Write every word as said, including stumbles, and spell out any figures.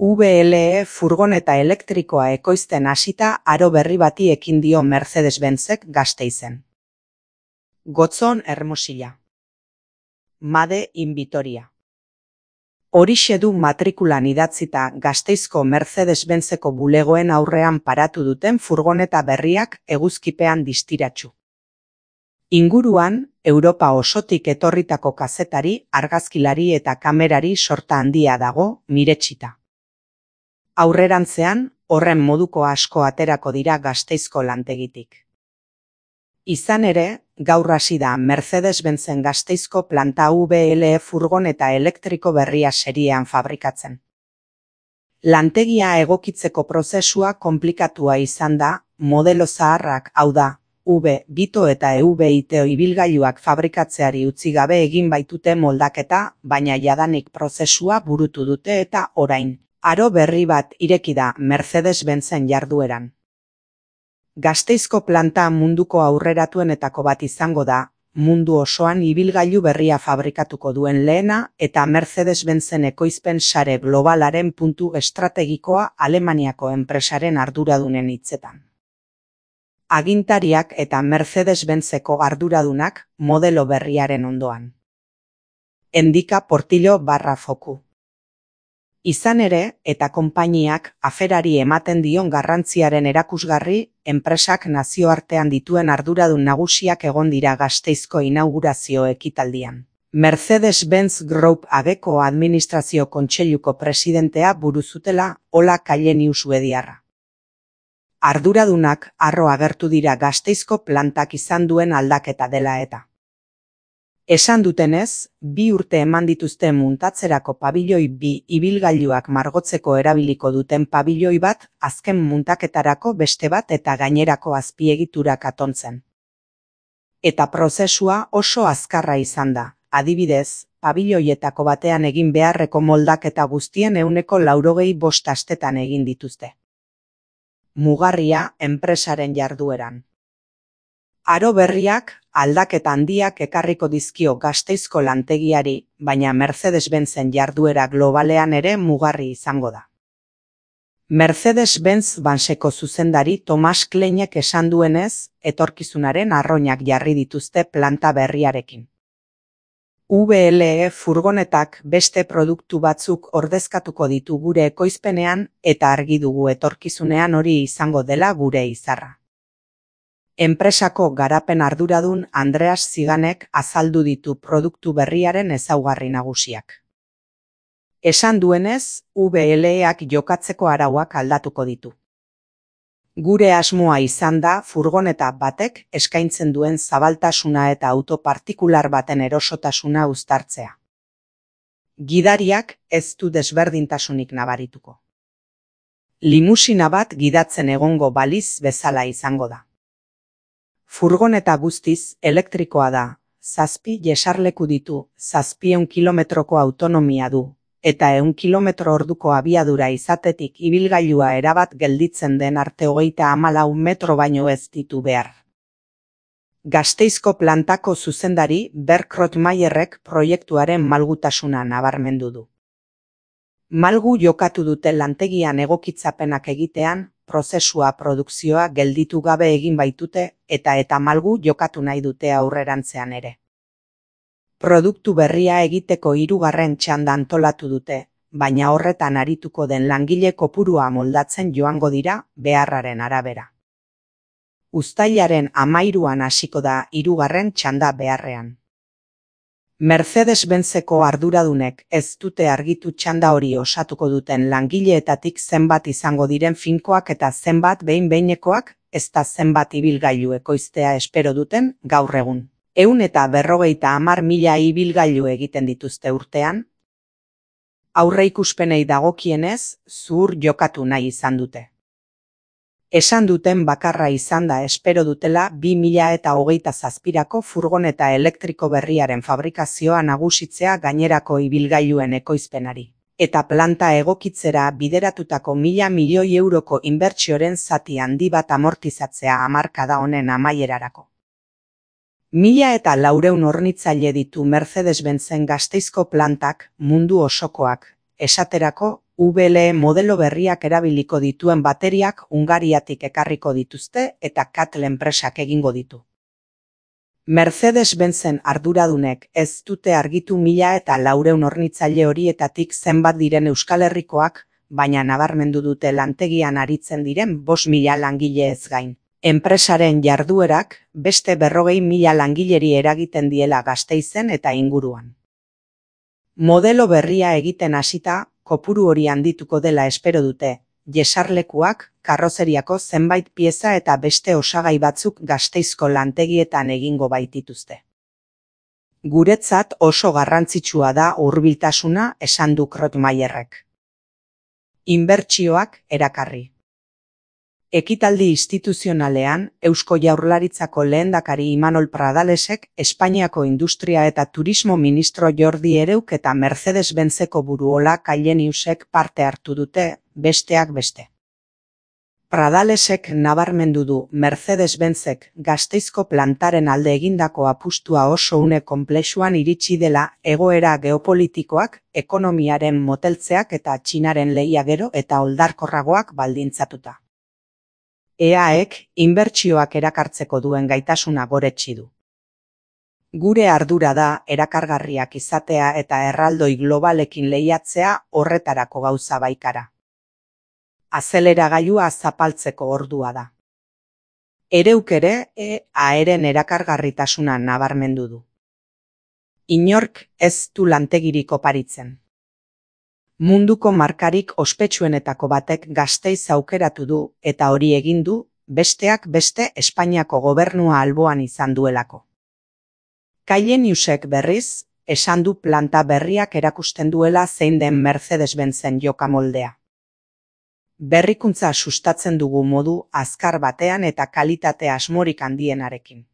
V L E furgoneta elektrikoa ekoizten hasita aro berri bati ekin dio Mercedes-Benzek Gasteizen. Gotzon Hermosilla. Made in Vitoria. Horixe du matrikulan idatzita Gasteizko Mercedes-Benzeko bulegoen aurrean paratu duten furgoneta berriak eguzkipean distiratsu. Inguruan, Europa osotik etorritako kazetari, argazkilari eta kamerari sorta handia dago miretsita. Aurrerantzean, horren moduko asko aterako dira Gasteizko lantegitik. Izan ere, gaur hasi da Mercedes-Benzen Gasteizko planta V L E furgoneta elektriko berria seriean fabrikatzen. Lantegia egokitzeko prozesua konplikatua izan da, modelo zaharrak, hau da, V, Vito eta E V Ito ibilgailuak fabrikatzeari utzi gabe egin baitute moldaketa, baina jadanik prozesua burutu dute eta orain, aro berri bat ireki da Mercedes-Benzen jardueran. Gasteizko planta munduko aurreratuenetako bat izango da, mundu osoan ibilgailu berria fabrikatuko duen lehena eta Mercedes-Benzen ekoizpen sare globalaren puntu estrategikoa Alemaniako enpresaren arduradunen hitzetan. Agintariak eta Mercedes-Benzeko arduradunak modelo berriaren ondoan. Endika Portillo barra foku. Izan ere, eta konpainiak aferari ematen dion garrantziaren erakusgarri, enpresak nazioartean dituen arduradun nagusiak egon dira Gasteizko inaugurazio ekitaldian. Mercedes-Benz Group ageko administrazio kontseiluko presidentea buruzutela Ola Kallenius suediarra. Arduradunak harro agertu dira Gasteizko plantak izan duen aldaketa dela eta. Esan dutenez, bi urte eman dituzte muntatzerako pabilloi bi ibilgailuak margotzeko erabiliko duten pabilloi bat, azken muntaketarako beste bat eta gainerako azpiegiturak atontzen. Eta prozesua oso azkarra izan da, adibidez, pabilloietako batean egin beharreko moldaketa guztien ehuneko laurogei bost astetan egin dituzte. Mugarria enpresaren jardueran. Aro berriak, aldaketa handiak ekarriko dizkio Gasteizko lantegiari, baina Mercedes-Benzen jarduera globalean ere mugarri izango da. Mercedes-Benz Banseko zuzendari Tomas Kleinek esan duenez, etorkizunaren arroinak jarri dituzte planta berriarekin. V L E furgonetak beste produktu batzuk ordezkatuko ditu gure ekoizpenean eta argi dugu etorkizunean hori izango dela gure izarra. Enpresako garapen arduradun Andreas Ziganek azaldu ditu produktu berriaren ezaugarri nagusiak. Esan duenez, V L Eak jokatzeko arauak aldatuko ditu. Gure asmoa izan da furgoneta batek eskaintzen duen zabaltasuna eta auto partikular baten erosotasuna uztartzea. Gidariak ez du desberdintasunik nabarituko. Limusina bat gidatzen egongo baliz bezala izango da. Furgoneta guztiz elektrikoa da, zazpi jesarleku ditu, zazpieun kilometroko autonomia du, eta ehun kilometro orduko abiadura izatetik ibilgailua erabat gelditzen den arte hogeita hamalau metro baino ez ditu behar. Gasteizko plantako zuzendari Berk Rottmeierrek proiektuaren malgutasuna nabarmendu du. Malgu jokatu dute lantegian egokitzapenak egitean, prozesua produkzioa gelditu gabe egin baitute eta eta malgu jokatu nahi dute aurrerantzean ere. Produktu berria egiteko hirugarren txanda antolatu dute, baina horretan arituko den langile kopurua moldatzen joango dira beharraren arabera. Uztailaren hamairuan hasiko da hirugarren txanda beharrean. Mercedes-Benzeko arduradunek ez dute argitu txanda hori osatuko duten langileetatik zenbat izango diren finkoak eta zenbat behin-behinekoak, ezta zenbat ibilgailu ekoiztea espero duten gaur egun. Ehun eta berrogeita hamar mila ibilgailu egiten dituzte urtean. Aurreikuspenei dagokienez, zuhur jokatu nahi izan dute. Esan duten bakarra izan da espero dutela bi mila eta hogeita zazpirako furgoneta elektriko berriaren fabrikazioa nagusitzea gainerako ibilgailuen ekoizpenari. Eta planta egokitzera bideratutako mila milioi euroko inbertsioren zati handi bat amortizatzea hamarkada honen amaierarako. Mila eta laureun hornitzaile ditu Mercedes-Benzen Gasteizko plantak mundu osokoak, esaterako U B L E modelo berriak erabiliko dituen bateriak Hungariatik ekarriko dituzte eta Cattle enpresak egingo ditu. Mercedes-Benzen arduradunek ez dute argitu mila eta laureun hornitzaile horietatik zenbat diren Euskal Herrikoak, baina nabarmendu dute lantegian aritzen diren bost mila langileez gain. Enpresaren jarduerak beste berrogei mila langileri eragiten diela Gasteizen eta inguruan. Modelo berria egiten hasita, kopuru hori handituko dela espero dute, jesarlekuak, karrozeriako zenbait pieza eta beste osagai batzuk Gasteizko lantegietan egingo baitituzte. Guretzat oso garrantzitsua da hurbiltasuna, esan du Krotmaierrek. Inbertsioak erakarri. Ekitaldi instituzionalean, Eusko Jaurlaritzako lehendakari Imanol Pradalesek, Espainiako Industria eta Turismo Ministro Jordi Ereuk eta Mercedes-Benzeko buruola Caileniusek parte hartu dute, besteak beste. Pradalesek nabarmendu du Mercedes-Benzek Gasteizko plantaren alde egindako apustua oso une konplexuan iritsi dela egoera geopolitikoak, ekonomiaren moteltzeak eta Txinaren lehia gero eta oldarkorragoak baldintzatuta. E A Ek inbertsioak erakartzeko duen gaitasuna goretsi du. Gure ardura da erakargarriak izatea eta erraldoi globalekin lehiatzea horretarako gauza baikara. Azeleragailua zapaltzeko ordua da. Ereuk ere E A eren erakargarritasuna nabarmendu du. Inork ez du lantegirik oparitzen. Munduko markarik ospetsuenetako batek Gasteiz aukeratu du eta hori egin du, besteak beste Espainiako gobernua alboan izan duelako. Caileniusek berriz, esan du planta berriak erakusten duela zein den Mercedes-Benzen jokamoldea. Berrikuntza sustatzen dugu modu azkar batean eta kalitate asmorik handienarekin.